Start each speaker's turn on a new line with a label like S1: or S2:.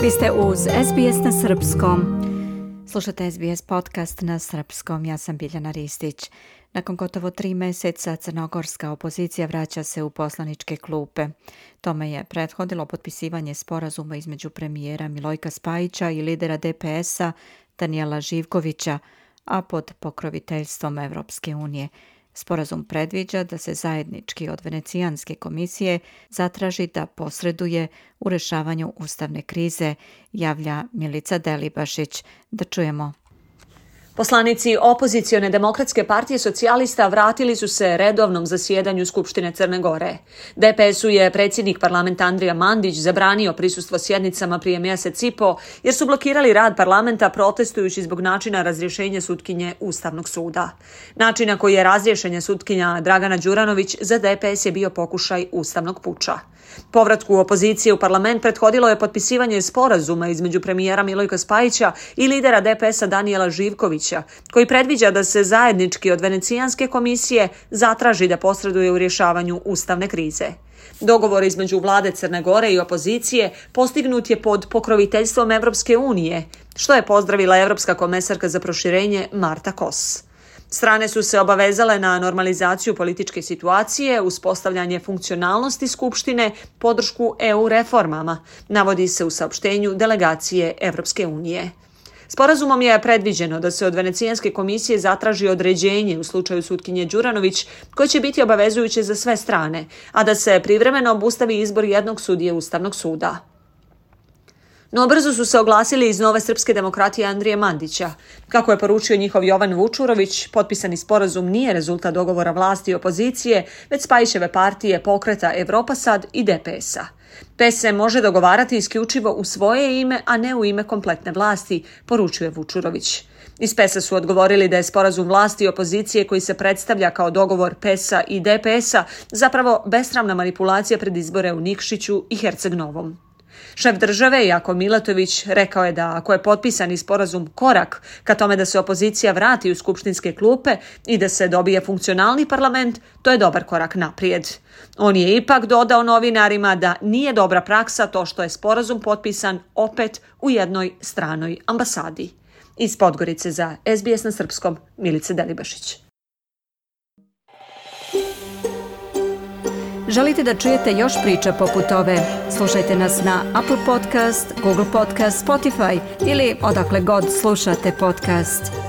S1: Vi ste uz SBS na srpskom. Slušate SBS podcast na srpskom. Ja sam Biljana Ristić. Nakon gotovo 3 mjeseca crnogorska opozicija vraća se u poslaničke klupe. Tome je prethodilo potpisivanje sporazuma između premijera Milojka Spajića i lidera DPS-a Danijela Živkovića, a pod pokroviteljstvom Evropske unije. Sporazum predviđa da se zajednički od Venecijanske komisije zatraži da posreduje u rješavanju ustavne krize, javlja Milica Delibašić. Da čujemo.
S2: Poslanici opozicione demokratske partije socijalista vratili su se redovnom zasjedanju Skupštine Crne Gore. DPS-u je predsjednik parlamenta Andrija Mandić zabranio prisustvo sjednicama prije mjesec i po, jer su blokirali rad parlamenta protestujući zbog načina razrješenja sutkinje Ustavnog suda. Način na koji je razrješenje sutkinja Dragana Đuranović za DPS je bio pokušaj ustavnog puča. Povratku opozicije u parlament prethodilo je potpisivanje sporazuma između premijera Milojka Spajića i lidera DPS-a Danijela Živkovića, koji predviđa da se zajednički od Venecijanske komisije zatraži da posreduje u rješavanju ustavne krize. Dogovor između vlade Crne Gore i opozicije postignut je pod pokroviteljstvom Evropske unije, što je pozdravila Evropska komesarka za proširenje Marta Kos. Strane su se obavezale na normalizaciju političke situacije, uspostavljanje funkcionalnosti Skupštine, podršku EU reformama, navodi se u saopštenju delegacije Evropske unije. Sporazumom je predviđeno da se od Venecijanske komisije zatraži određenje u slučaju sutkinje Đuranović, koje će biti obavezujuće za sve strane, a da se privremeno obustavi izbor jednog sudije Ustavnog suda. No brzo su se oglasili iz Nove srpske demokratije Andrije Mandića. Kako je poručio njihov Jovan Vučurović, potpisani sporazum nije rezultat dogovora vlasti i opozicije, već Spajićeve partije Pokreta Evropa Sad i DPS-a. PES se može dogovarati isključivo u svoje ime, a ne u ime kompletne vlasti, poručuje Vučurović. Iz PES-a su odgovorili da je sporazum vlasti i opozicije koji se predstavlja kao dogovor PES-a i DPS-a zapravo besramna manipulacija pred izbore u Nikšiću i Herceg Novom. Šef države Jako Milatović rekao je da ako je potpisani sporazum korak ka tome da se opozicija vrati u skupštinske klupe i da se dobije funkcionalni parlament, to je dobar korak naprijed. On je ipak dodao novinarima da nije dobra praksa to što je sporazum potpisan opet u jednoj stranoj ambasadi. Iz Podgorice za SBS na srpskom, Milica Delibašić.
S1: Želite da čujete još priča poput ove? Slušajte nas na Apple Podcast, Google Podcast, Spotify ili odakle god slušate podcast.